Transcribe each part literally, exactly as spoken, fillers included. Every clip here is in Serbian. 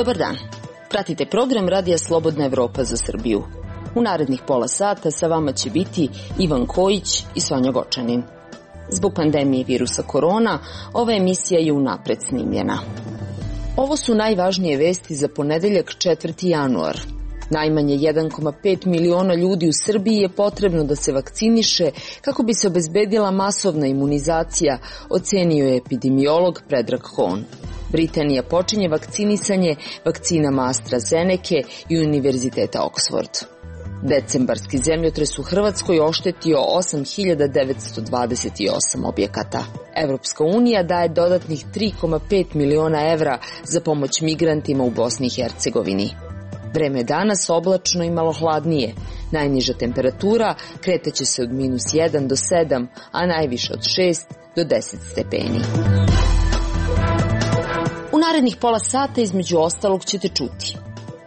Dobar dan. Pratite program Radija Slobodna Evropa za Srbiju. U narednih pola sata sa vama će biti Ivan Kojić i Sonja Gočanin. Zbog pandemije virusa korona, ova emisija je unapred snimljena. Ovo su najvažnije vesti za ponedeljak četvrti januar. Najmanje jedan zarez pet miliona ljudi u Srbiji je potrebno da se vakciniše kako bi se obezbedila masovna imunizacija, ocenio je epidemiolog Predrag Kon. Britanija počinje vakcinisanje vakcinama AstraZeneca i Univerziteta Oxford. Decembarski zemljotres u Hrvatskoj oštetio osam hiljada devetsto dvadeset osam objekata. Evropska unija daje dodatnih tri zarez pet miliona evra za pomoć migrantima u Bosni i Hercegovini. Vreme je danas oblačno i malo hladnije. Najniža temperatura kretaće se od minus jedan do sedam, a najviše od šest do deset stepeni. U narednih pola sata između ostalog ćete čuti.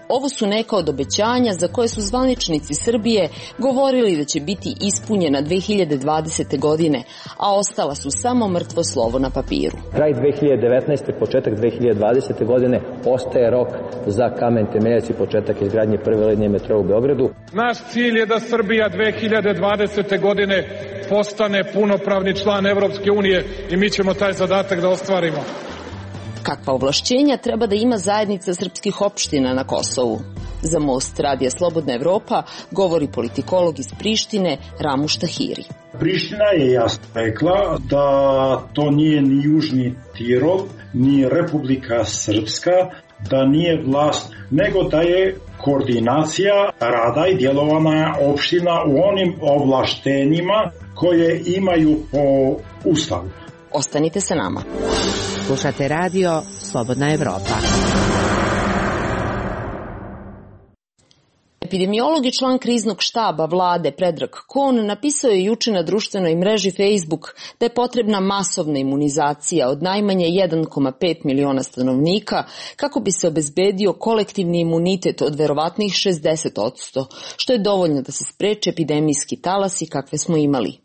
Ovo su neka od obećanja za koje su zvaničnici Srbije govorili da će biti ispunjena dve hiljade dvadesete. godine, a ostala su samo mrtvo slovo na papiru. Kraj dve hiljade devetnaeste. početak dve hiljade dvadesete. godine ostaje rok za kamen temeljac i početak izgradnje prve linije metroa u Beogradu. Naš cilj je da Srbija dve hiljade dvadesete. godine postane punopravni član Evropske unije i mi ćemo taj zadatak da ostvarimo. Kakva ovlašćenja treba da ima zajednica srpskih opština na Kosovu? Za Most Radija Slobodna Evropa govori politikolog iz Prištine Ramuš Tahiri. Priština je jasno rekla da to nije ni Južni Tirol, ni Republika Srpska, da nije vlast, nego da je koordinacija rada i djelovanja opština u onim ovlaštenjima koje imaju po Ustavu. Ostanite sa nama. Slušate radio Slobodna Evropa. Epidemiolog i član kriznog štaba vlade Predrag Kon napisao je juče na društvenoj mreži Facebook da je potrebna masovna imunizacija od najmanje jedan zarez pet miliona stanovnika kako bi se obezbedio kolektivni imunitet od verovatnih šezdeset posto, što je dovoljno da se spreče epidemijski talasi kakve smo imali.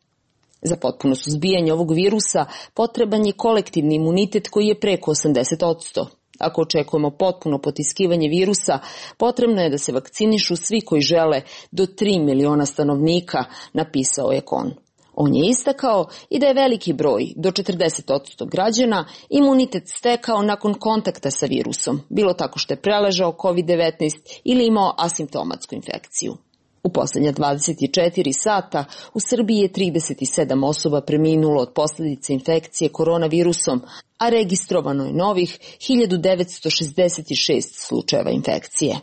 Za potpuno suzbijanje ovog virusa potreban je kolektivni imunitet koji je preko osamdeset posto. Ako očekujemo potpuno potiskivanje virusa, potrebno je da se vakcinišu svi koji žele do tri miliona stanovnika, napisao je Kon. On je istakao i da je veliki broj, do četrdeset posto građana, imunitet stekao nakon kontakta sa virusom, bilo tako što je preležao kovid devetnaest ili imao asimptomatsku infekciju. U poslednja dvadeset četiri sata u Srbiji je trideset sedam osoba preminulo od posljedice infekcije koronavirusom, a registrovano je novih hiljadu devetsto šezdeset šest slučajeva infekcije.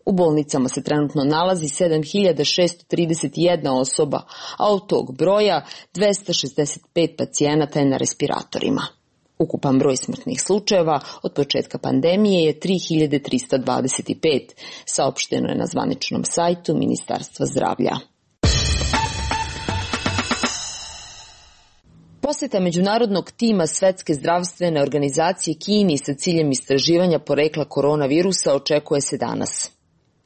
U bolnicama se trenutno nalazi sedam hiljada šesto trideset jedna osoba, a od tog broja dvesta šezdeset pet pacijenata je na respiratorima. Ukupan broj smrtnih slučajeva od početka pandemije je tri hiljade trista dvadeset pet, saopšteno je na zvaničnom sajtu Ministarstva zdravlja. Poseta međunarodnog tima Svetske zdravstvene organizacije Kini sa ciljem istraživanja porekla koronavirusa očekuje se danas.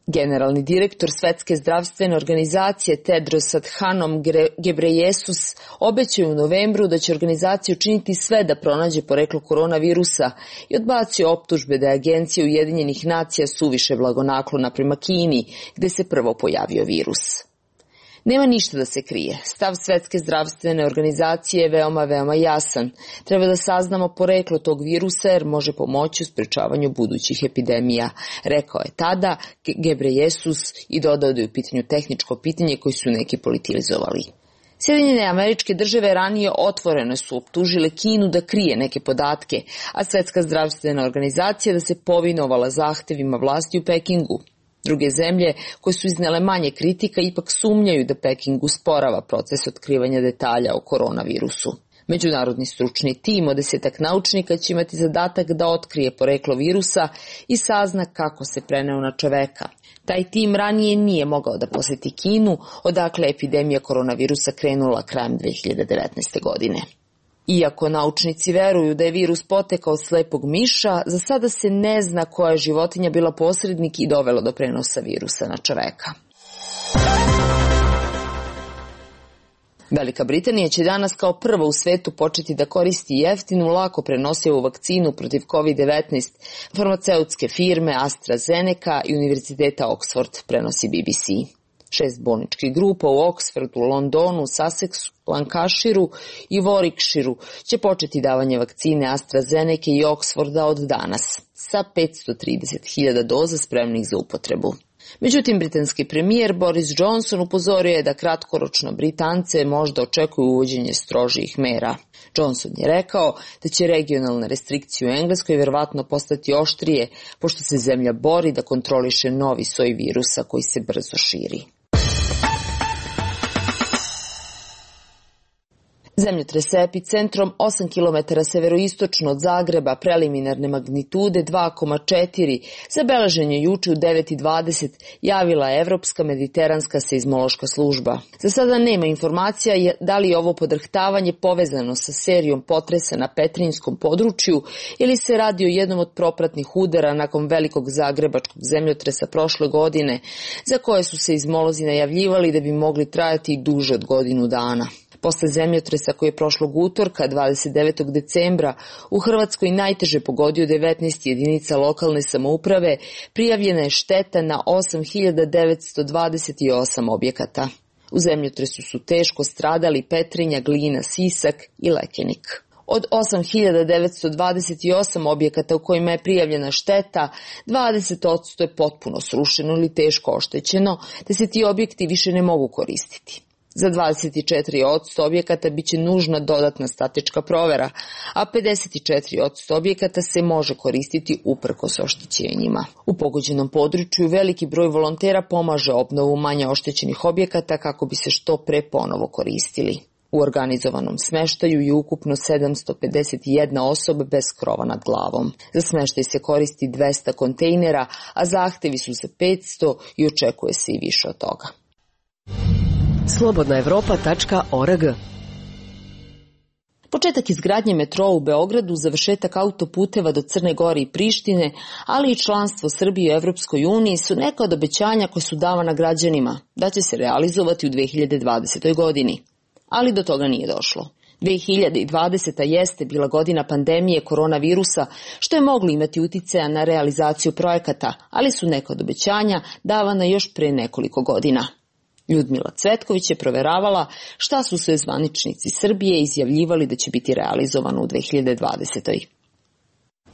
Generalni direktor Svetske zdravstvene organizacije Tedros Adhanom Ghebreyesus obećao u novembru da će organizacija učiniti sve da pronađe poreklo koronavirusa i odbacio optužbe da je Agencija Ujedinjenih nacija suviše blagonaklona prema Kini, gde se prvo pojavio virus. Nema ništa da se krije. Stav Svetske zdravstvene organizacije je veoma, veoma jasan. Treba da saznamo poreklo tog virusa jer može pomoći u sprečavanju budućih epidemija, rekao je tada Ghebreyesus i dodao da je u pitanju tehničko pitanje koje su neki politizovali. Sjedinjene Američke Države ranije otvoreno su optužile Kinu da krije neke podatke, a Svetska zdravstvena organizacija da se povinovala zahtevima vlasti u Pekingu. Druge zemlje koje su iznele manje kritika ipak sumnjaju da Peking usporava proces otkrivanja detalja o koronavirusu. Međunarodni stručni tim od desetak naučnika će imati zadatak da otkrije poreklo virusa i sazna kako se preneo na čoveka. Taj tim ranije nije mogao da poseti Kinu, odakle je epidemija koronavirusa krenula krajem dve hiljade devetnaeste. godine. Iako naučnici veruju da je virus potekao od slepog miša, za sada se ne zna koja je životinja bila posrednik i dovela do prenosa virusa na čoveka. Velika Britanija će danas kao prva u svetu početi da koristi jeftinu, lako prenosivu vakcinu protiv kovid devetnaest farmaceutske firme AstraZeneca i Univerziteta Oxford, prenosi B B C. Šest bolničkih grupa u Oxfordu, Londonu, Sussexu, Lancashireu i Warwickshireu će početi davanje vakcine AstraZeneca i Oxforda od danas, sa petsto trideset hiljada doza spremnih za upotrebu. Međutim, britanski premijer Boris Johnson upozorio je da kratkoročno Britance možda očekuju uvođenje strožijih mera. Johnson je rekao da će regionalne restrikcije u Engleskoj verovatno postati oštrije, pošto se zemlja bori da kontroliše novi soj virusa koji se brzo širi. Zemljotres sa epicentrom osam kilometara severoistočno od Zagreba, preliminarne magnitude dva zarez četiri, zabeležen je juče u devet i dvadeset, javila je Evropska mediteranska seizmološka služba. Za sada nema informacija da li je ovo podrhtavanje povezano sa serijom potresa na Petrinjskom području ili se radi o jednom od propratnih udara nakon velikog zagrebačkog zemljotresa prošle godine, za koje su seizmolozi najavljivali da bi mogli trajati i duže od godinu dana. Posle zemljotresa koji je prošlog utorka, dvadeset devetog decembra, u Hrvatskoj najteže pogodio devetnaest jedinica lokalne samouprave, prijavljena je šteta na osam hiljada devetsto dvadeset osam objekata. U zemljotresu su teško stradali Petrinja, Glina, Sisak i Lekenik. Od osam hiljada devetsto dvadeset osam objekata u kojima je prijavljena šteta, dvadeset posto je potpuno srušeno ili teško oštećeno, te se ti objekti više ne mogu koristiti. Za dvadeset četiri posto objekata biće nužna dodatna statička provera, a pedeset četiri posto objekata se može koristiti uprkos oštećenjima. U pogođenom području veliki broj volontera pomaže obnovu manje oštećenih objekata kako bi se što pre ponovo koristili. U organizovanom smeštaju je ukupno sedamsto pedeset jedna osoba bez krova nad glavom. Za smeštaj se koristi dvesta kontejnera, a zahtevi su za petsto i očekuje se i više od toga. slobodna evropa tačka org. Početak izgradnje metroa u Beogradu, završetak autoputeva do Crne Gore i Prištine, ali i članstvo Srbije u Evropskoj uniji su neka od obećanja koje su davana građanima da će se realizovati u dve hiljade dvadesetoj. godini. Ali do toga nije došlo. dve hiljade dvadeseta. jeste bila godina pandemije koronavirusa, što je moglo imati uticaja na realizaciju projekata, ali su neka od obećanja davana još pre nekoliko godina. Ljudmila Cvetković je proveravala šta su sve zvaničnici Srbije izjavljivali da će biti realizovano u dve hiljade dvadesetoj.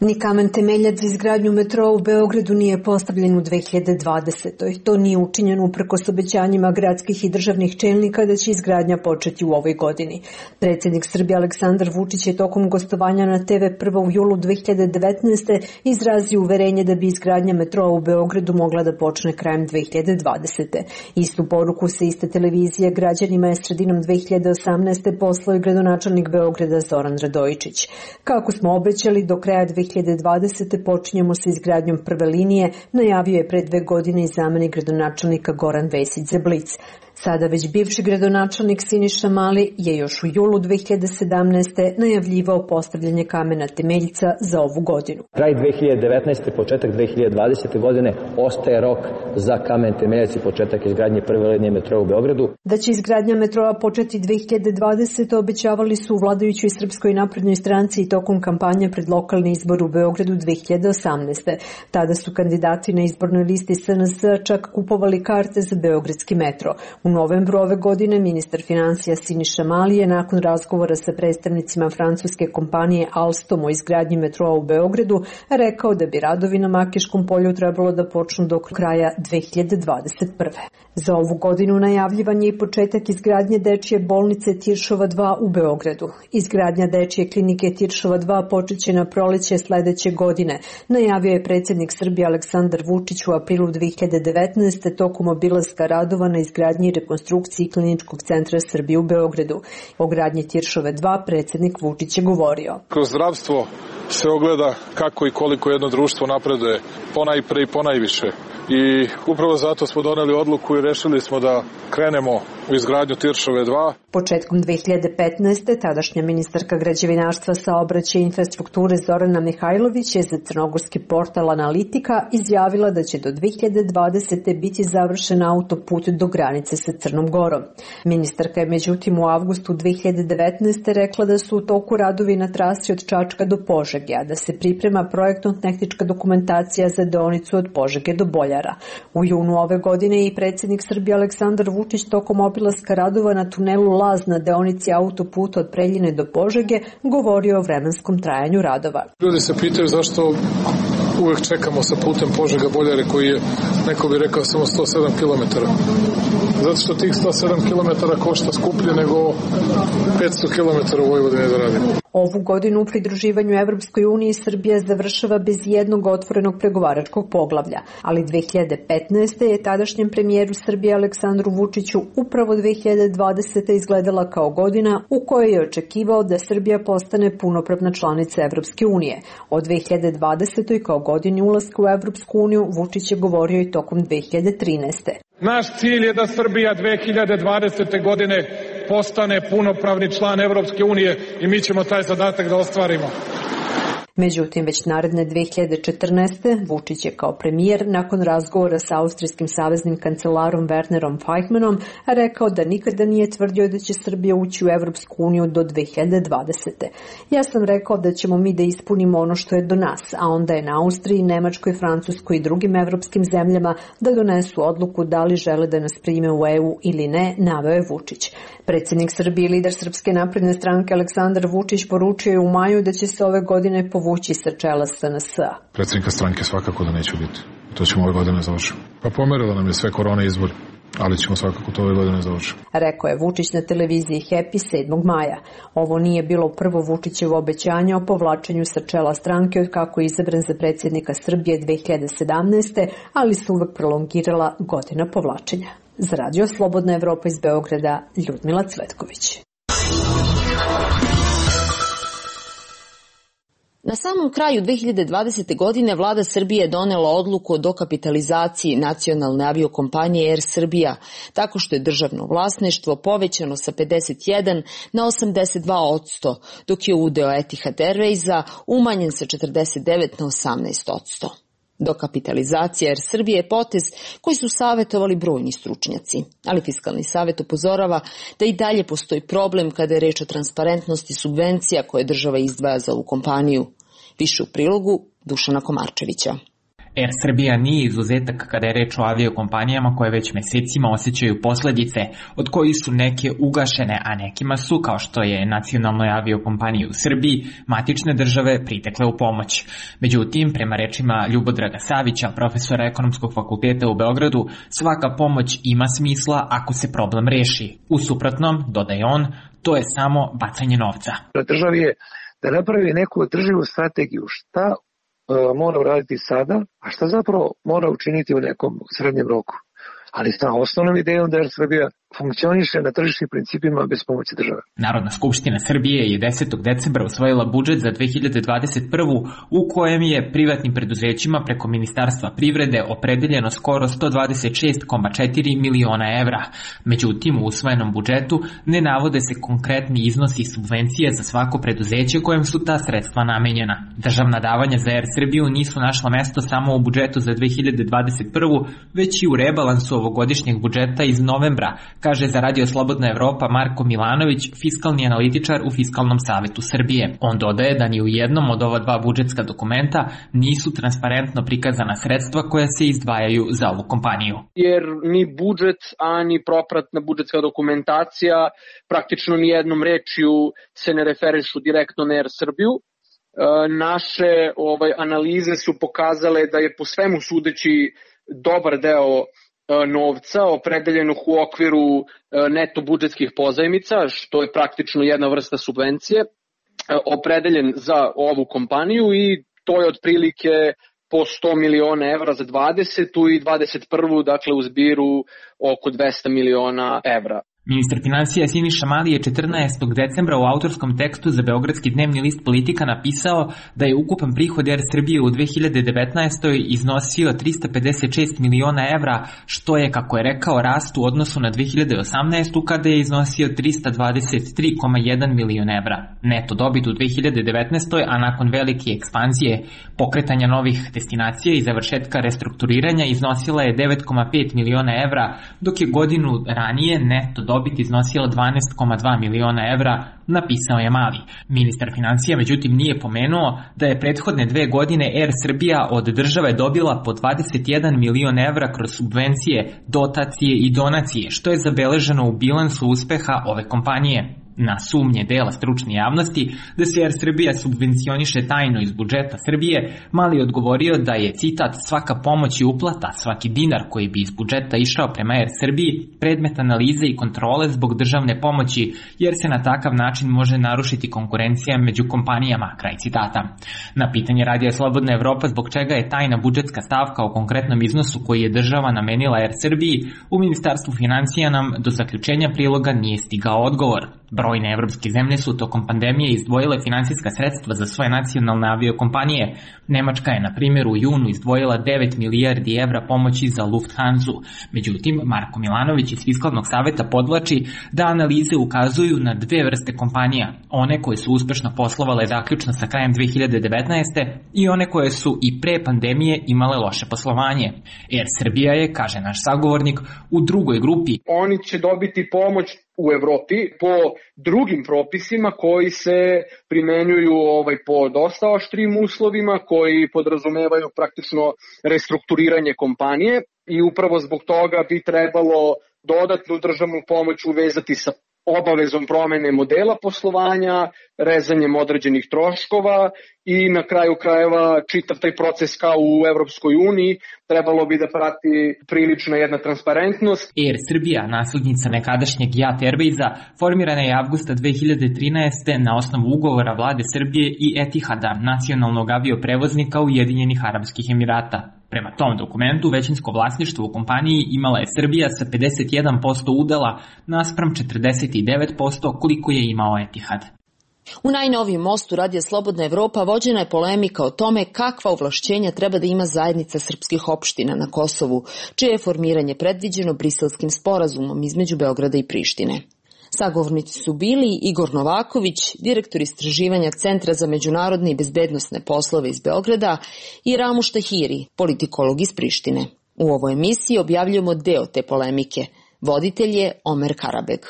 Ni kamen temeljac za izgradnju metroa u Beogradu nije postavljen u dve hiljade dvadesetoj. To nije učinjeno uprkos obećanjima gradskih i državnih čelnika da će izgradnja početi u ovoj godini. Predsjednik Srbije Aleksandar Vučić je tokom gostovanja na te ve prvo u julu dve hiljade devetnaeste. izrazio uverenje da bi izgradnja metroa u Beogradu mogla da počne krajem dve hiljade dvadesete. Istu poruku sa iste televizije građanima je sredinom dve hiljade osamnaeste. poslao i gradonačelnik Beograda Zoran Radojičić. Kako smo obećali, do kraja dve hiljade dvadesete. počinjemo sa izgradnjom prve linije, najavio je pre dve godine i zamenik gradonačelnika Goran Vesić za Blic. Sada već bivši gradonačelnik Siniša Mali je još u julu dve hiljade sedamnaeste. najavljivao postavljanje kamena temeljca za ovu godinu. Kraj dve hiljade devetnaeste. početak dve hiljade dvadesete. godine ostaje rok za kamen temeljac i početak izgradnje prve linije metroa u Beogradu. Da će izgradnja metroa početi dve hiljade dvadesete. obećavali su u vladajućoj Srpskoj naprednoj stranci i tokom kampanje pred lokalni izbor u Beogradu dve hiljade osamnaeste. Tada su kandidati na izbornoj listi S N S čak kupovali karte za beogradski metro. U novembru ove godine ministar finansija Siniša Mali je nakon razgovora sa predstavnicima francuske kompanije Alstom o izgradnji metroa u Beogradu rekao da bi radovi na Makiškom polju trebalo da počnu do kraja dve hiljade dvadeset prve. Za ovu godinu najavljivan je i početak izgradnje dečije bolnice Tiršova dva u Beogradu. Izgradnja dečije klinike Tiršova dva počeće na proleće sledeće godine. Najavio je predsjednik Srbije Aleksandar Vučić u aprilu dve hiljade devetnaeste. tokom obilaska radova na izgradnji i rekonstrukciji Kliničkog centra Srbije u Beogradu. O gradnji Tiršove dva predsjednik Vučić je govorio. Kroz zdravstvo se ogleda kako i koliko jedno društvo napreduje, ponajpre i ponajviše. I upravo zato smo doneli odluku i rešili smo da krenemo u izgradnju Tiršove dva. Početkom dve hiljade petnaeste. tadašnja ministarka građevinarstva, saobraćaja i infrastrukture Zorana Mihajlović je za crnogorski portal Analitika izjavila da će do dve hiljade dvadesete. biti završen autoput do granice sa Crnom Gorom. Ministarka je međutim u avgustu dve hiljade devetnaeste. rekla da su u toku radovi na trasi od Čačka do Požege, a da se priprema projektno-tehnička dokumentacija za deonicu od Požege do Boljara. U junu ove godine i predsjednik Srbije Aleksandar Vučić tokom obilaska radova na tunelu Laz na deonici autoputa od Preljine do Požege govorio o vremenskom trajanju radova. Ljudi se pitaju zašto uvek čekamo sa putem Požega-Boljare koji je, neko bi rekao, samo sto sedam kilometara. Zato što tih sto sedam kilometara košta skuplje nego petsto kilometara u Vojvodini da radimo. Ovu godinu u pridruživanju Evropskoj uniji Srbija završava bez jednog otvorenog pregovaračkog poglavlja, ali dve hiljade petnaeste. je tadašnjem premijeru Srbije Aleksandru Vučiću upravo dve hiljade dvadesete. izgledala kao godina u kojoj je očekivao da Srbija postane punopravna članica Evropske unije. O dve hiljade dvadesete. kao godini ulaska u Evropsku uniju Vučić je govorio i tokom dve hiljade trinaeste. Naš cilj je da Srbija dve hiljade dvadesete. godine postane punopravni član Evropske unije i mi ćemo taj zadatak da ostvarimo. Međutim, već naredne dve hiljade četrnaeste. Vučić je kao premijer nakon razgovora sa austrijskim saveznim kancelarom Wernerom Feichmannom rekao da nikada nije tvrdio da će Srbija ući u Evropsku uniju do dve hiljade dvadesete. Ja sam rekao da ćemo mi da ispunimo ono što je do nas, a onda je na Austriji, Nemačkoj, Francuskoj i drugim evropskim zemljama da donesu odluku da li žele da nas prime u E U ili ne, naveo je Vučić. Predsjednik Srbije i lider Srpske napredne stranke Aleksandar Vučić poručio je u maju da će se ove godine povući sa čela S N S-a. Predsjednika stranke svakako da neće biti. To ćemo ove godine završiti. Pa pomerila nam je sve korona izbor, ali ćemo svakako to ove godine završiti. Rekao je Vučić na televiziji Happy sedmog maja. Ovo nije bilo prvo Vučićevo obećanje o povlačenju sa čela stranke od kako je izabran za predsjednika Srbije dve hiljade sedamnaeste. ali se uvek prolongirala godina povlačenja. Za Radio Slobodna Evropa iz Beograda, Ljudmila Cvetković. Na samom kraju dve hiljade dvadesete. godine vlada Srbije je donela odluku o dokapitalizaciji nacionalne aviokompanije Air Srbija, tako što je državno vlasništvo povećano sa pedeset jedan na osamdeset dva posto, dok je udeo Etihad Airwaysa umanjen sa četrdeset devet na osamnaest posto. Dokapitalizacija Air Srbije je potez koji su savjetovali brojni stručnjaci, ali Fiskalni savjet upozorava da i dalje postoji problem kada je reč o transparentnosti subvencija koje država izdvaja za ovu kompaniju. Više u prilogu Dušana Komarčevića. Air Srbija nije izuzetak kada je reč o aviokompanijama koje već mesecima osjećaju posledice, od kojih su neke ugašene, a nekima su, kao što je nacionalnoj aviokompaniji u Srbiji, matične države pritekle u pomoć. Međutim, prema rečima Ljubodraga Savića, profesora Ekonomskog fakulteta u Beogradu, svaka pomoć ima smisla ako se problem reši. U suprotnom, dodaje on, to je samo bacanje novca. Državi je da napravi neku održivu strategiju, šta mora uraditi sada, a šta zapravo mora učiniti u nekom srednjem roku. Ali sa osnovnom idejom da Air Srbija funkcioniše na tržišnim principima bez pomoći države. Narodna skupština Srbije je desetog decembra usvojila budžet za dve hiljade dvadeset prvu. u kojem je privatnim preduzećima preko Ministarstva privrede opredeljeno skoro sto dvadeset šest zarez četiri miliona evra. Međutim, u usvojenom budžetu ne navode se konkretni iznosi subvencije za svako preduzeće kojem su ta sredstva namenjena. Državna davanja za Air Srbiju nisu našla mesto samo u budžetu za dve hiljade dvadeset prvu. već i u rebalansu ovogodišnjeg budžeta iz novembra, kaže za Radio Slobodna Evropa Marko Milanović, fiskalni analitičar u Fiskalnom savetu Srbije. On dodaje da ni u jednom od ova dva budžetska dokumenta nisu transparentno prikazana sredstva koja se izdvajaju za ovu kompaniju. Jer ni budžet, a ni propratna budžetska dokumentacija praktično ni jednom rečju se ne referišu direktno na Air Srbiju. E, naše ovaj, analize su pokazale da je po svemu sudeći dobar deo novca opredeljenog u okviru neto budžetskih pozajmica, što je praktično jedna vrsta subvencije, opredeljen za ovu kompaniju i to je otprilike po sto miliona evra za dvadesetu i dvadeset prvu, dakle u zbiru oko dvesta miliona evra. Ministar finansija Siniša Mali je četrnaestog decembra u autorskom tekstu za beogradski dnevni list Politika napisao da je ukupan prihod Er Srbije u dve hiljade devetnaestoj iznosio trista pedeset šest miliona evra, što je, kako je rekao, rast u odnosu na dve hiljade osamnaestu kada je iznosio trista dvadeset tri zarez jedan milion evra. Neto dobit u dve hiljade devetnaestoj, a nakon velike ekspanzije, pokretanja novih destinacija i završetka restrukturiranja iznosila je devet zarez pet miliona evra, dok je godinu ranije neto dobit dobit iznosila dvanaest zarez dva miliona evra, napisao je Mali. Ministar finansija međutim nije pomenuo da je prethodne dve godine Er Srbija od države dobila po dvadeset jedan milion evra kroz subvencije, dotacije i donacije, što je zabeleženo u bilansu uspeha ove kompanije. Na sumnje dela stručne javnosti da se Er Srbija subvencioniše tajno iz budžeta Srbije, Mali odgovorio da je, citat, svaka pomoć i uplata, svaki dinar koji bi iz budžeta išao prema Er Srbiji, predmet analize i kontrole zbog državne pomoći, jer se na takav način može narušiti konkurencija među kompanijama, kraj citata. Na pitanje Radija Slobodna Evropa zbog čega je tajna budžetska stavka o konkretnom iznosu koji je država namenila Er Srbiji, u Ministarstvu finansija nam do zaključenja priloga nije stigao odgovor. Brojne evropske zemlje su tokom pandemije izdvojile finansijska sredstva za svoje nacionalne aviokompanije. Nemačka je, na primjer, u junu izdvojila devet milijardi evra pomoći za Lufthansa. Međutim, Marko Milanović iz Fiskalnog saveta podvlači da analize ukazuju na dve vrste kompanija. One koje su uspešno poslovale zaključno sa krajem dve hiljade devetnaeste. i one koje su i pre pandemije imale loše poslovanje. Er Srbija je, kaže naš sagovornik, u drugoj grupi. Oni će dobiti pomoć u Evropi po drugim propisima koji se primenjuju ovaj, po dosta oštrim uslovima, koji podrazumevaju praktično restrukturiranje kompanije i upravo zbog toga bi trebalo dodatnu državnu pomoć uvezati sa obavezom promene modela poslovanja, rezanjem određenih troškova i na kraju krajeva čitav taj proces kao u Evropskoj uniji trebalo bi da prati prilična jedna transparentnost. Er Srbija, naslednica nekadašnjeg Jat Airwaysa, formirana je avgusta dve hiljade trinaeste. na osnovu ugovora vlade Srbije i Etihada, nacionalnog avioprevoznika Ujedinjenih Arapskih Emirata. Prema tom dokumentu, većinsko vlasništvo u kompaniji imala je Srbija sa pedeset jedan posto udela naspram četrdeset devet posto koliko je imao Etihad. U najnovijem mostu Radija Slobodna Evropa vođena je polemika o tome kakva ovlašćenja treba da ima zajednica srpskih opština na Kosovu, čije je formiranje predviđeno Briselskim sporazumom između Beograda i Prištine. Sagovornici su bili Igor Novaković, direktor istraživanja Centra za međunarodne i bezbednosne poslove iz Beograda, i Ramuš Tahiri, politikolog iz Prištine. U ovoj emisiji objavljujemo deo te polemike. Voditelj je Omer Karabeg.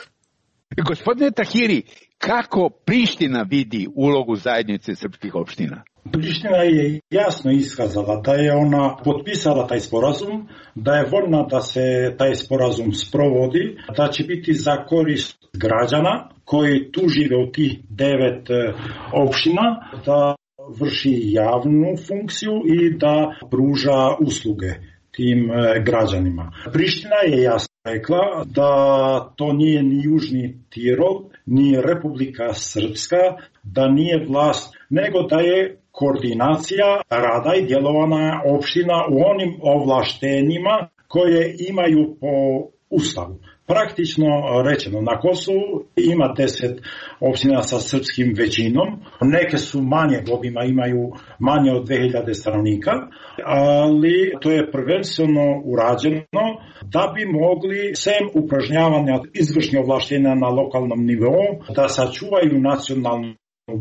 Gospodine Tahiri, kako Priština vidi ulogu zajednice srpskih opština? Priština je jasno iskazala da je ona potpisala taj sporazum, da je voljna da se taj sporazum sprovodi, da će biti za korist građana koji tu žive u tih devet opština, da vrši javnu funkciju i da pruža usluge tim građanima. Priština je jasno rekla da to nije ni Južni Tirol, ni Republika Srpska, da nije vlast, nego da je koordinacija rada i djelovanja opština u onim ovlaštenjima koje imaju po Ustavu. Praktično rečeno, na Kosovu ima deset opština sa srpskim većinom, neke su manje obima, imaju manje od dve hiljade stanovnika, ali to je prvenstveno urađeno da bi mogli, sem upražnjavanja izvršnih ovlaštenja na lokalnom nivou, da sačuvaju nacionalnu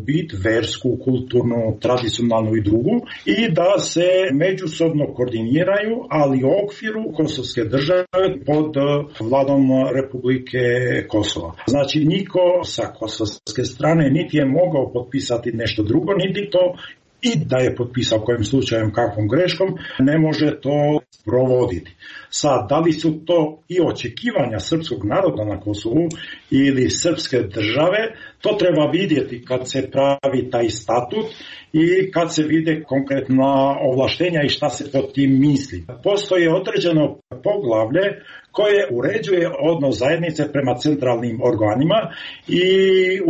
bit, versku, kulturnu, tradicionalnu i drugu, i da se međusobno koordiniraju, ali u okviru kosovske države pod vladom Republike Kosova. Znači, niko sa kosovske strane niti je mogao potpisati nešto drugo, niti to i da je potpisao kojim slučajem, kakvom greškom, ne može to provoditi. Sad, da li su to i očekivanja srpskog naroda na Kosovu ili srpske države, to treba vidjeti kad se pravi taj statut i kad se vide konkretna ovlaštenja i šta se pod tim misli. Postoje određeno poglavlje koje uređuje odnos zajednice prema centralnim organima i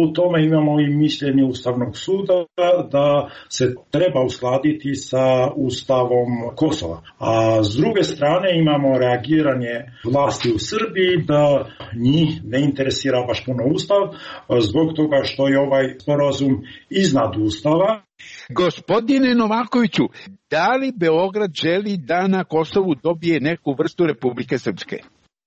u tome imamo i mišljenje Ustavnog suda da se treba uskladiti sa Ustavom Kosova. A s druge strane imamo reagiranje vlasti u Srbiji da njih ne interesira baš puno Ustav zbog toga što je ovaj sporazum iznad Ustava. Gospodine Novakoviću, da li Beograd želi da na Kosovu dobije neku vrstu Republike Srpske?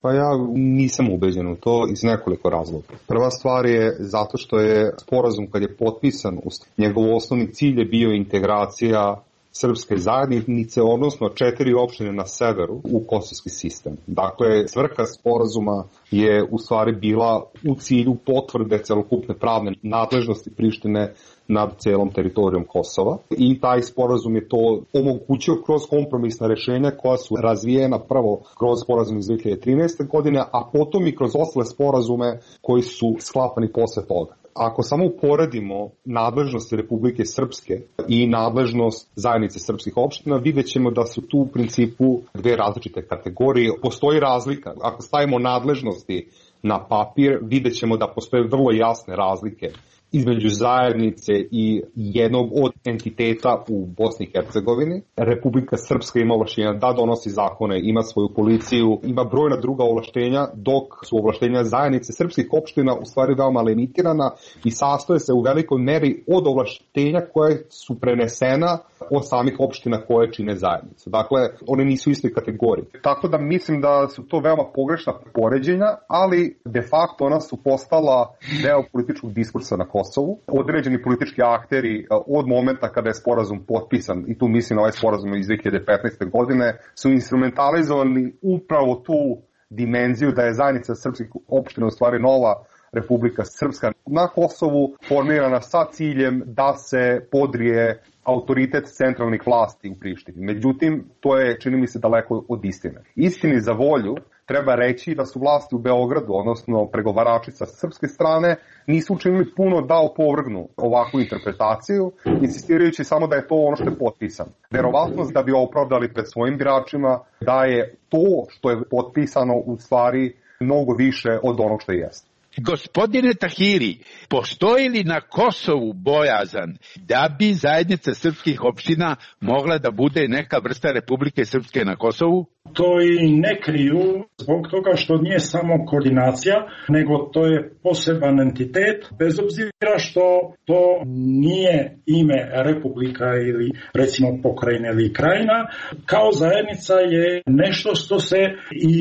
Pa ja nisam ubeđen u to iz nekoliko razloga. Prva stvar je zato što je sporazum kad je potpisan, njegov osnovni cilj je bio integracija srpske zajednice, odnosno četiri opštine na severu u kosovski sistem. Dakle, svrha sporazuma je u stvari bila u cilju potvrde celokupne pravne nadležnosti Prištine nad celom teritorijom Kosova i taj sporazum je to omogućio kroz kompromisna rešenja koja su razvijena prvo kroz sporazum iz dve hiljade trinaeste. godine, a potom i kroz ostale sporazume koji su sklapani posle toga. Ako samo uporedimo nadležnosti Republike Srpske i nadležnost zajednice srpskih opština, vidjet ćemo da su tu u principu dve različite kategorije. Postoji razlika. Ako stavimo nadležnosti na papir, vidjet ćemo da postoje vrlo jasne razlike između zajednice i jednog od entiteta u Bosni i Hercegovini. Republika Srpska ima ovlaštenja da donosi zakone, ima svoju policiju, ima brojna druga ovlaštenja, dok su ovlaštenja zajednice srpskih opština u stvari veoma limitirana i sastoje se u velikoj meri od ovlaštenja koje su prenesena od samih opština koje čine zajednicu. Dakle, one nisu iste kategorije. Tako da mislim da su to veoma pogrešna poređenja, ali de facto ona su postala deo političkog diskursa na Kosovu. Određeni politički akteri od momenta kada je sporazum potpisan, i tu mislim na ovaj sporazum iz dve hiljade petnaeste. godine, su instrumentalizovali upravo tu dimenziju da je zajednica srpskih opština u stvari nova Republika Srpska na Kosovu, formirana sa ciljem da se podrije autoritet centralnih vlasti u Prištini. Međutim, to je, čini mi se, daleko od istine. Istini za volju treba reći da su vlasti u Beogradu, odnosno pregovarači sa srpske strane, nisu učinili puno da opovrgnu ovakvu interpretaciju, insistirajući samo da je to ono što je potpisano. Verovatnost da bi opravdali pred svojim biračima da je to što je potpisano u stvari mnogo više od onog što jeste. Gospodine Tahiri, postoji li na Kosovu bojazan da bi zajednica srpskih opština mogla da bude neka vrsta Republike Srpske na Kosovu? To i ne kriju zbog toga što nije samo koordinacija, nego to je poseban entitet, bez obzira što to nije ime Republika ili recimo pokrajina ili krajina. Kao zajednica je nešto što se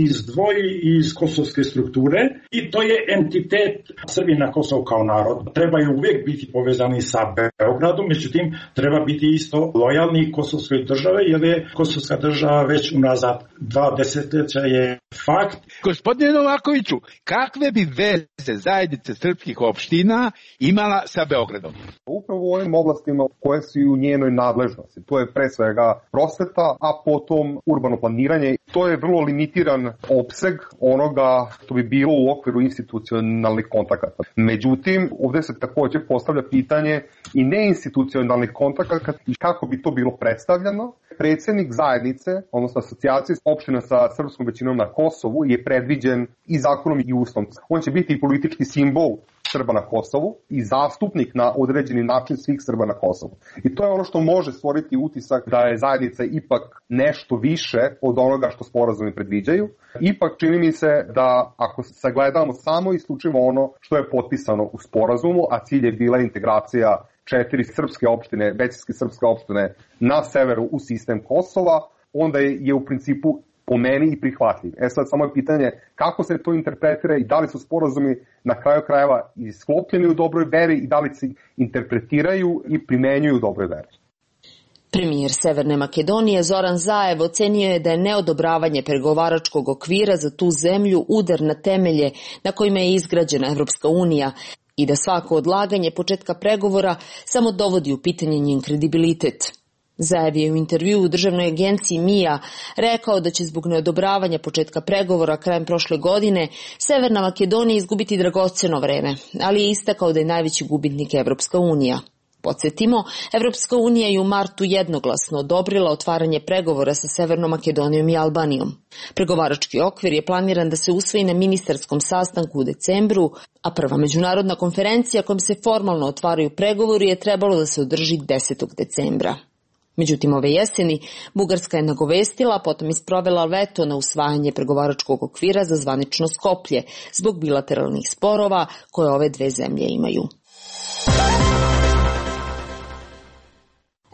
izdvoji iz kosovske strukture i to je entitet Srbi na Kosovu kao narod. Trebaju uvijek biti povezani sa Beogradom, međutim treba biti isto lojalni kosovskoj države, jer je kosovska država već unazad dva desetljeća je fakt. Gospodine Novakoviću, kakve bi veze zajednice srpskih opština imala sa Beogradom? Upravo u ovim oblastima koje su u njenoj nadležnosti. To je pre svega prosveta, a potom urbano planiranje. To je vrlo limitiran opseg onoga što bi bilo u okviru institucionalnih kontakata. Međutim, ovdje se također postavlja pitanje i neinstitucionalnih kontakata i kako bi to bilo predstavljeno. Predsjednik zajednice, odnosno asocijacije opština sa srpskom većinom na Kosovu je predviđen i zakonom i ustavom. On će biti i politički simbol Srba na Kosovu i zastupnik na određeni način svih Srba na Kosovu. I to je ono što može stvoriti utisak da je zajednica ipak nešto više od onoga što sporazumi predviđaju. Ipak čini mi se da ako sagledamo samo isključivo ono što je potpisano u sporazumu, a cilj je bila integracija četiri srpske opštine, većinske srpske opštine na severu u sistem Kosova, onda je, je u principu po meni i prihvatljiv. E sad samo je pitanje kako se to interpretira i da li su sporazumi na kraju krajeva isklopljeni u dobroj veri i da li se interpretiraju i primenjuju u dobroj veri. Premijer Severne Makedonije Zoran Zaev ocenio je da je neodobravanje pregovaračkog okvira za tu zemlju udar na temelje na kojima je izgrađena Evropska unija i da svako odlaganje početka pregovora samo dovodi u pitanje njen kredibilitet. Zaev je u intervjuu u državnoj agenciji M I A rekao da će zbog neodobravanja početka pregovora krajem prošle godine Severna Makedonija izgubiti dragoceno vreme, ali je istakao da je najveći gubitnik Evropska unija. podsjetimo, Evropska unija je u martu jednoglasno odobrila otvaranje pregovora sa Severnom Makedonijom i Albanijom. Pregovarački okvir je planiran da se usvoji na ministarskom sastanku u decembru, a prva međunarodna konferencija kojom se formalno otvaraju pregovori je trebalo da se održi desetog decembra. Međutim, ove jeseni Bugarska je nagovestila, a potom isprovela veto na usvajanje pregovaračkog okvira za zvanično Skoplje zbog bilateralnih sporova koje ove dve zemlje imaju.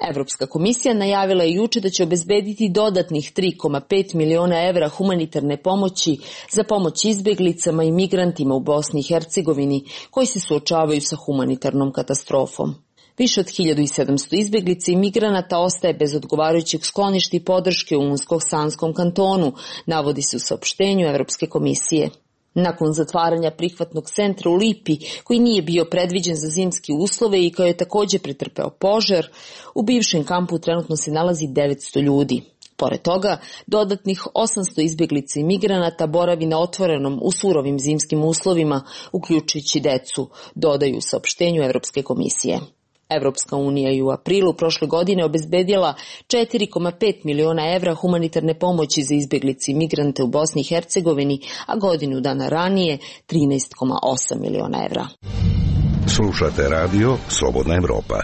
Evropska komisija najavila je juče da će obezbediti dodatnih tri zarez pet miliona evra humanitarne pomoći za pomoć izbeglicama i migrantima u Bosni i Hercegovini koji se suočavaju sa humanitarnom katastrofom. Više od hiljadu sedamsto izbeglica i migranata ostaje bez odgovarajućeg skloništa i podrške u Unskog-Sanskom kantonu, navodi se u saopštenju Evropske komisije. Nakon zatvaranja prihvatnog centra u Lipi, koji nije bio predviđen za zimske uslove i koji je također pretrpeo požar, u bivšem kampu trenutno se nalazi devetsto ljudi. Pored toga, dodatnih osamsto izbjeglica i migranata boravi na otvorenom u surovim zimskim uslovima, uključujući decu, dodaju u saopštenju Evropske komisije. Evropska unija je u aprilu prošle godine obezbedila četiri zarez pet miliona evra humanitarne pomoći za izbjeglice i migrante u Bosni i Hercegovini, a godinu dana ranije trinaest zarez osam miliona evra. Slušate radio Slobodna Evropa.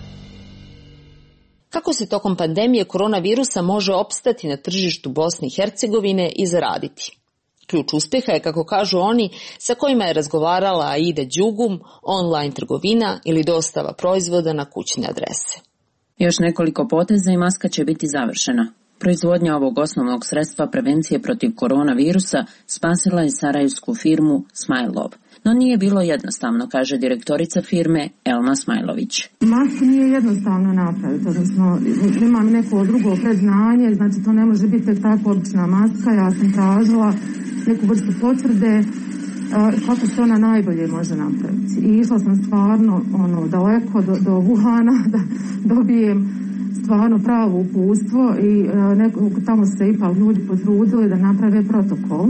Kako se tokom pandemije koronavirusa može opstati na tržištu Bosne i Hercegovine i zaraditi? Ključ uspeha je, kako kažu oni, sa kojima je razgovarala Aida Đugum, online trgovina ili dostava proizvoda na kućne adrese. Još nekoliko poteza i maska će biti završena. Proizvodnja ovog osnovnog sredstva prevencije protiv koronavirusa spasila je sarajevsku firmu Smajlov. No nije bilo jednostavno, kaže direktorica firme Elma Smajlović. Masku nije jednostavno napraviti, odnosno imam neko drugo predznanje, znači to ne može biti tek tako obična maska. Ja sam tražila neku vrstu potvrde kako se ona najbolje može napraviti. I išla sam stvarno ono, daleko do, do Wuhana da dobijem stvarno pravo uputstvo i neko, tamo se ipak ljudi potrudili da naprave protokol.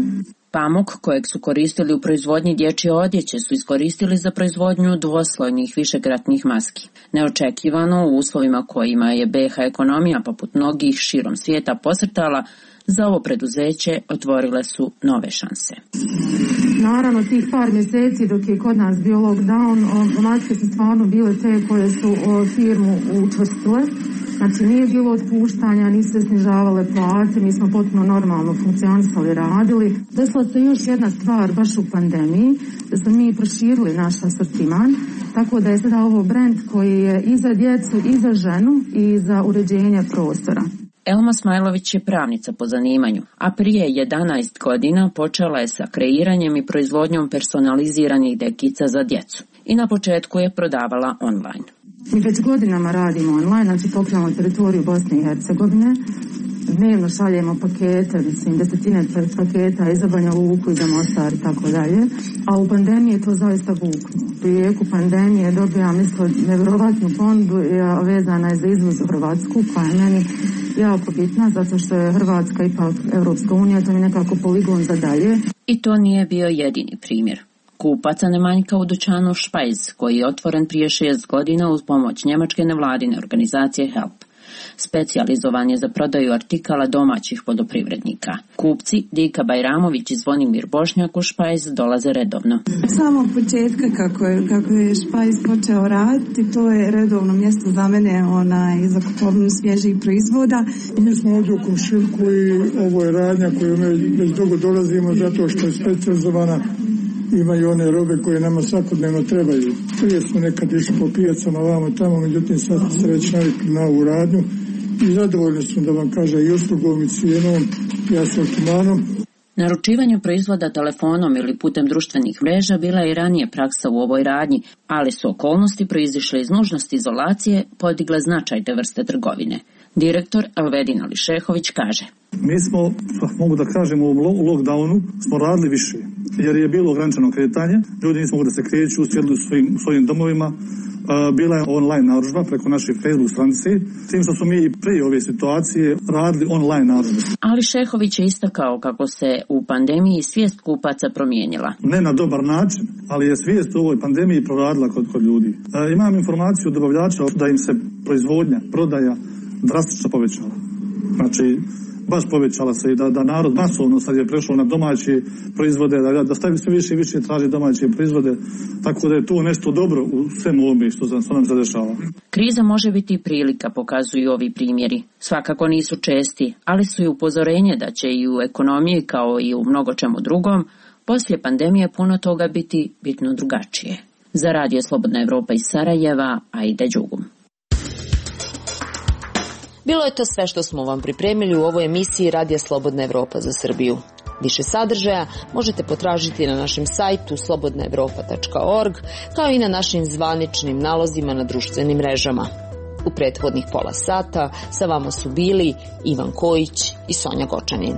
Pamuk kojeg su koristili u proizvodnji dječje odjeće su iskoristili za proizvodnju dvoslojnih višekratnih maski. Neočekivano u uslovima kojima je B iH ekonomija poput mnogih širom svijeta posrtala, za ovo preduzeće otvorile su nove šanse. Naravno, tih par mjeseci dok je kod nas bio lockdown, maske su stvarno bile te koje su firmu učvrstile. Znači nije bilo otpuštanja, nisu se snižavale plate, mi smo potpuno normalno funkcionisali, radili. Desila se još jedna stvar baš u pandemiji, da smo mi proširili naš asortiman, tako da je sada ovo brend koji je i za djecu, i za ženu, i za uređenje prostora. Elma Smajlović je pravnica po zanimanju, a prije jedanaest godina počela je sa kreiranjem i proizvodnjom personaliziranih dekica za djecu. I na početku je prodavala online. Mi već godinama radimo online, znači pokrivamo teritoriju Bosne i Hercegovine. Dnevno šaljemo pakete, mislim, desetine paketa i za Banja Luku i za Mostar i tako dalje. A u pandemiji je to zaista vukno. U jeku pandemije dobija, mislim, nevjerovatnu ponudu vezana je za izvoz u Hrvatsku, koja je meni jako bitna, zato što je Hrvatska ipak Evropska unija, to mi nekako poligon za dalje. I to nije bio jedini primjer. Kupaca ne manjka u dućanu Špajz, koji je otvoren prije šest godina uz pomoć njemačke nevladine organizacije Help. Specijalizovan je za prodaju artikala domaćih poljoprivrednika. Kupci Dika Bajramović i Zvonimir Bošnjak u Špajz dolaze redovno. Od samog početka kako je, kako je Špajz počeo raditi, to je redovno mjesto za mene onaj, za kupovinu svježih proizvoda. Mi smo ovdje u komšiluku i ovo je radnja koju mi već dugo dolazimo zato što je specijalizovana. Imaju one robe koje nama svakodnevno trebaju. Prije smo nekad išli po pijacama vamo tamo, međutim sad se već navikli na ovu radnju i zadovoljni smo, da vam kaže, i uslugom i cijenom i asortimanom. Naručivanje proizvoda telefonom ili putem društvenih mreža bila je i ranije praksa u ovoj radnji, ali su okolnosti proizišle iz nužnosti izolacije podigle značaj te vrste trgovine. Direktor Elvedin Ališehović kaže: Mi smo, mogu da kažem, u lockdownu smo radili više, jer je bilo ograničeno kretanje, ljudi nisu mogli da se kreću, sjedili u svojim, svojim domovima, bila je online narudžba preko naše Facebook stranice, tim što smo mi i prije ove situacije radili online narudžbe. Ali Šehović je istakao kako se u pandemiji svijest kupaca promijenila. Ne na dobar način, ali je svijest u ovoj pandemiji proradila kod, kod ljudi. E, imam informaciju od dobavljača da im se proizvodnja, prodaja drastično povećala. Znači, baš povećala se i da, da narod masovno sad je prešao na domaće proizvode, da, da stavi sve više i više traži domaće proizvode, tako da je to nešto dobro u svemu ovome što, što nam se dešava. Kriza može biti i prilika, pokazuju ovi primjeri. Svakako nisu česti, ali su i upozorenje da će i u ekonomiji kao i u mnogo čemu drugom poslije pandemije puno toga biti bitno drugačije. Za Radio Slobodna Evropa iz Sarajeva, Aida Đugum. Bilo je to sve što smo vam pripremili u ovoj emisiji Radija Slobodna Evropa za Srbiju. Više sadržaja možete potražiti na našem sajtu slobodna evropa tačka org, kao i na našim zvaničnim nalozima na društvenim mrežama. U prethodnih pola sata sa vama su bili Ivan Kojić i Sonja Gočanin.